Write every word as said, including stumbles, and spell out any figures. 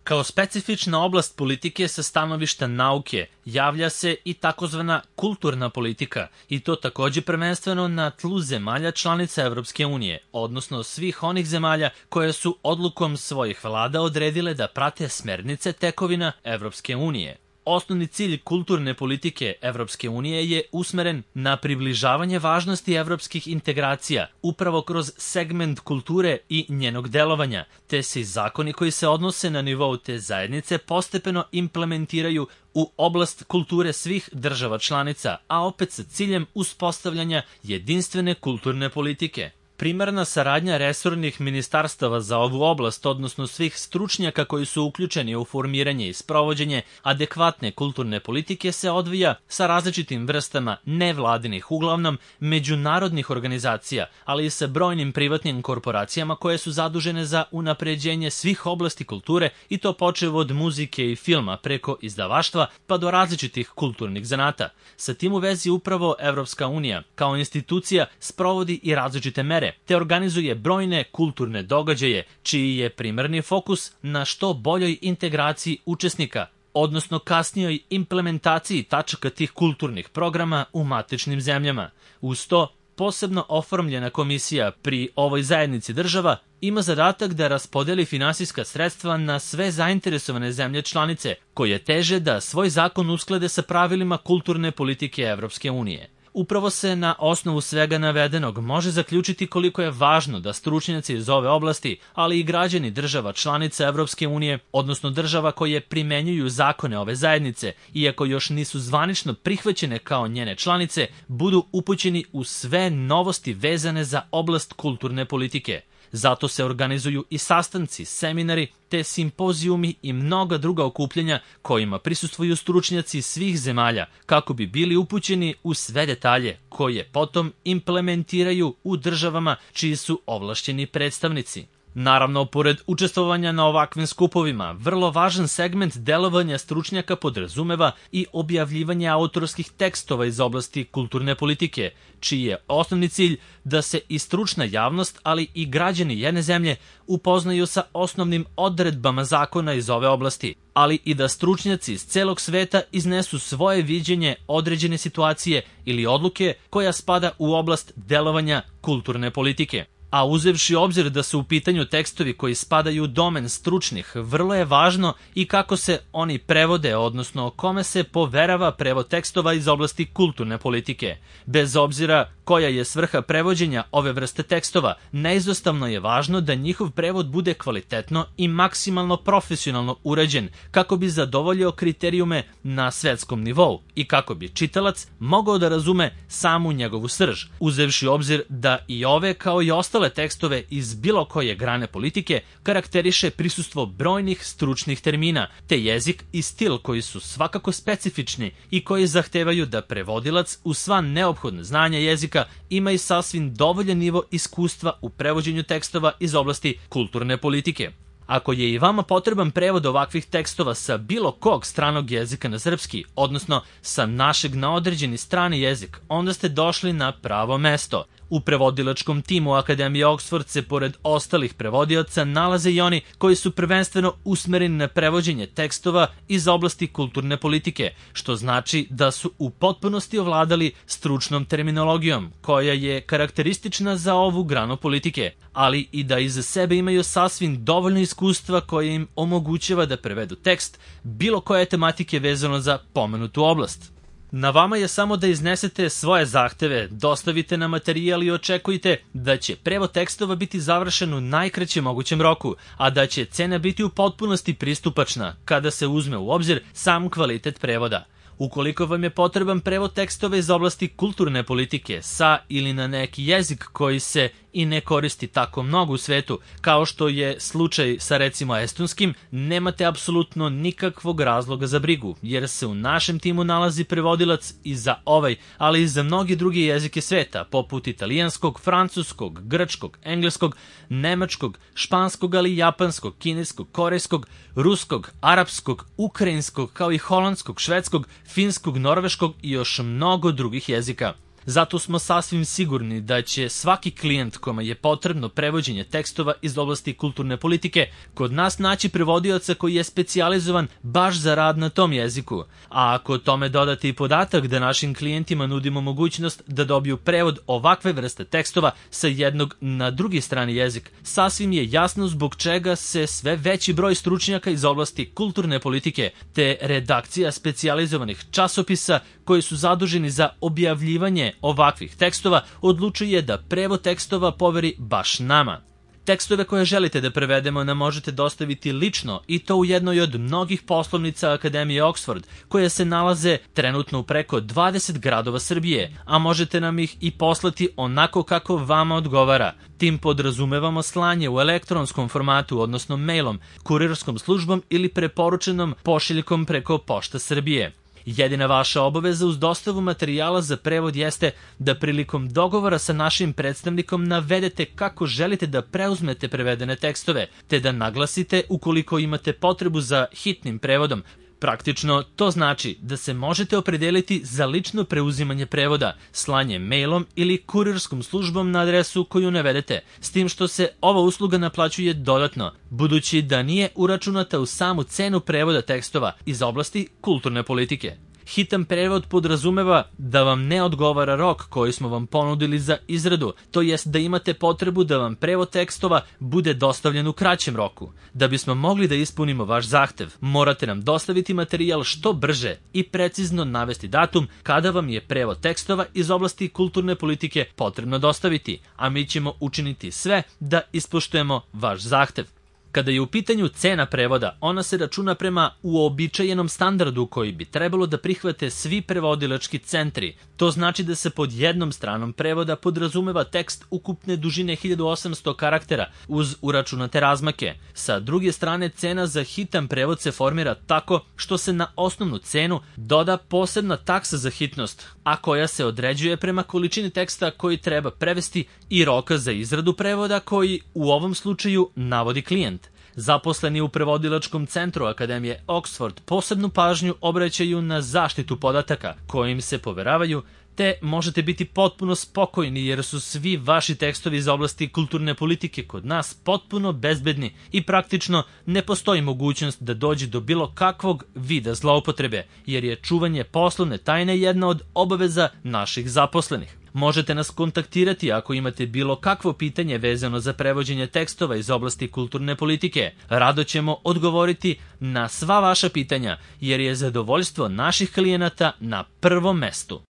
Kao specifična oblast politike sa stanovišta nauke javlja se i takozvana kulturna politika, i to takođe prvenstveno na tlu zemalja članica Evropske unije, odnosno svih onih zemalja koje su odlukom svojih vlada odredile da prate smernice tekovina Evropske unije. Osnovni cilj kulturne politike Evropske unije je usmeren na približavanje važnosti evropskih integracija upravo kroz segment kulture i njenog delovanja, te se i zakoni koji se odnose na nivou te zajednice postepeno implementiraju u oblast kulture svih država članica, a opet sa ciljem uspostavljanja jedinstvene kulturne politike. Primarna saradnja resornih ministarstava za ovu oblast, odnosno svih stručnjaka koji su uključeni u formiranje i sprovođenje adekvatne kulturne politike, se odvija sa različitim vrstama nevladinih, uglavnom međunarodnih organizacija, ali i sa brojnim privatnim korporacijama koje su zadužene za unapređenje svih oblasti kulture, i to počev od muzike i filma preko izdavaštva pa do različitih kulturnih zanata. Sa tim u vezi upravo Evropska unija kao institucija sprovodi i različite mere, te organizuje brojne kulturne događaje, čiji je primarni fokus na što boljoj integraciji učesnika, odnosno kasnijoj implementaciji tačaka tih kulturnih programa u matičnim zemljama. Uz to, posebno oformljena komisija pri ovoj zajednici država ima zadatak da raspodeli finansijska sredstva na sve zainteresovane zemlje članice, koje teže da svoj zakon usklade sa pravilima kulturne politike Evropske unije. Upravo se na osnovu svega navedenog može zaključiti koliko je važno da stručnjaci iz ove oblasti, ali i građani država članica Evropske unije, odnosno država koje primenjuju zakone ove zajednice, iako još nisu zvanično prihvaćene kao njene članice, budu upućeni u sve novosti vezane za oblast kulturne politike. Zato se organizuju i sastanci, seminari, te simpozijumi i mnoga druga okupljanja kojima prisustvuju stručnjaci svih zemalja kako bi bili upućeni u sve detalje koje potom implementiraju u državama čiji su ovlašćeni predstavnici. Naravno, pored učestvovanja na ovakvim skupovima, vrlo važan segment delovanja stručnjaka podrazumeva i objavljivanje autorskih tekstova iz oblasti kulturne politike, čiji je osnovni cilj da se i stručna javnost, ali i građani jedne zemlje upoznaju sa osnovnim odredbama zakona iz ove oblasti, ali i da stručnjaci iz celog sveta iznesu svoje viđenje određene situacije ili odluke koja spada u oblast delovanja kulturne politike. A uzevši obzir da su u pitanju tekstovi koji spadaju u domen stručnih, vrlo je važno i kako se oni prevode, odnosno kome se poverava prevod tekstova iz oblasti kulturne politike. Bez obzira koja je svrha prevođenja ove vrste tekstova, neizostavno je važno da njihov prevod bude kvalitetno i maksimalno profesionalno urađen, kako bi zadovoljio kriterijume na svetskom nivou i kako bi čitalac mogao da razume samu njegovu srž, uzevši obzir da i ove kao i ostale tekstove iz bilo koje grane politike karakteriše prisustvo brojnih stručnih termina, te jezik i stil koji su svakako specifični i koji zahtevaju da prevodilac u sva neophodna znanja jezika ima i sasvim dovoljan nivo iskustva u prevođenju tekstova iz oblasti kulturne politike. Ako je i vama potreban prevod ovakvih tekstova sa bilo kog stranog jezika na srpski, odnosno sa našeg na određeni strani jezik, onda ste došli na pravo mesto. U prevodilačkom timu Akademije Oxford se pored ostalih prevodioca nalaze i oni koji su prvenstveno usmereni na prevođenje tekstova iz oblasti kulturne politike, što znači da su u potpunosti ovladali stručnom terminologijom, koja je karakteristična za ovu granu politike, ali i da iza sebe imaju sasvim dovoljno iskustva koje im omogućava da prevedu tekst bilo koje tematike vezano za pomenutu oblast. Na vama je samo da iznesete svoje zahteve, dostavite nam materijal i očekujte da će prevod tekstova biti završen u najkraćem mogućem roku, a da će cena biti u potpunosti pristupačna kada se uzme u obzir sam kvalitet prevoda. Ukoliko vam je potreban prevod tekstova iz oblasti kulturne politike sa ili na neki jezik koji se i ne koristi tako mnogo u svetu, kao što je slučaj sa recimo estonskim, nemate apsolutno nikakvog razloga za brigu, jer se u našem timu nalazi prevodilac i za ovaj, ali i za mnogi drugi jezike sveta, poput italijanskog, francuskog, grčkog, engleskog, nemačkog, španskog, ali i japanskog, kineskog, korejskog, ruskog, arapskog, ukrajinskog, kao i holandskog, švedskog, finskog, norveškog i još mnogo drugih jezika. Zato smo sasvim sigurni da će svaki klijent kome je potrebno prevođenje tekstova iz oblasti kulturne politike kod nas naći prevodioca koji je specijalizovan baš za rad na tom jeziku. A ako tome dodate i podatak da našim klijentima nudimo mogućnost da dobiju prevod ovakve vrste tekstova sa jednog na drugi strani jezik, sasvim je jasno zbog čega se sve veći broj stručnjaka iz oblasti kulturne politike te redakcija specijalizovanih časopisa koji su zaduženi za objavljivanje ovakvih tekstova odlučuje da prevod tekstova poveri baš nama. Tekstove koje želite da prevedemo nam možete dostaviti lično i to u jednoj od mnogih poslovnica Akademije Oxford, koje se nalaze trenutno u preko dvadeset gradova Srbije, a možete nam ih i poslati onako kako vama odgovara. Tim podrazumevamo slanje u elektronskom formatu, odnosno mailom, kurirskom službom ili preporučenom pošiljkom preko Pošta Srbije. Jedina vaša obaveza uz dostavu materijala za prevod jeste da prilikom dogovora sa našim predstavnikom navedete kako želite da preuzmete prevedene tekstove, te da naglasite ukoliko imate potrebu za hitnim prevodom. Praktično, to znači da se možete opredeliti za lično preuzimanje prevoda, slanje mailom ili kurirskom službom na adresu koju navedete, s tim što se ova usluga naplaćuje dodatno, budući da nije uračunata u samu cenu prevoda tekstova iz oblasti kulturne politike. Hitan prevod podrazumeva da vam ne odgovara rok koji smo vam ponudili za izradu, to jest da imate potrebu da vam prevod tekstova bude dostavljen u kraćem roku. Da bismo mogli da ispunimo vaš zahtev, morate nam dostaviti materijal što brže i precizno navesti datum kada vam je prevod tekstova iz oblasti kulturne politike potrebno dostaviti, a mi ćemo učiniti sve da ispoštujemo vaš zahtev. Kada je u pitanju cena prevoda, ona se računa prema uobičajenom standardu koji bi trebalo da prihvate svi prevodilački centri. To znači da se pod jednom stranom prevoda podrazumeva tekst ukupne dužine hiljadu osamsto karaktera uz uračunate razmake. Sa druge strane, cena za hitan prevod se formira tako što se na osnovnu cenu doda posebna taksa za hitnost, a koja se određuje prema količini teksta koji treba prevesti i roka za izradu prevoda koji u ovom slučaju navodi klijent. Zaposleni u prevodilačkom centru Akademije Oxford posebnu pažnju obraćaju na zaštitu podataka kojim se poveravaju, te možete biti potpuno spokojni jer su svi vaši tekstovi iz oblasti kulturne politike kod nas potpuno bezbedni i praktično ne postoji mogućnost da dođe do bilo kakvog vida zloupotrebe, jer je čuvanje poslovne tajne jedna od obaveza naših zaposlenih. Možete nas kontaktirati ako imate bilo kakvo pitanje vezano za prevođenje tekstova iz oblasti kulturne politike. Rado ćemo odgovoriti na sva vaša pitanja, jer je zadovoljstvo naših klijenata na prvom mestu.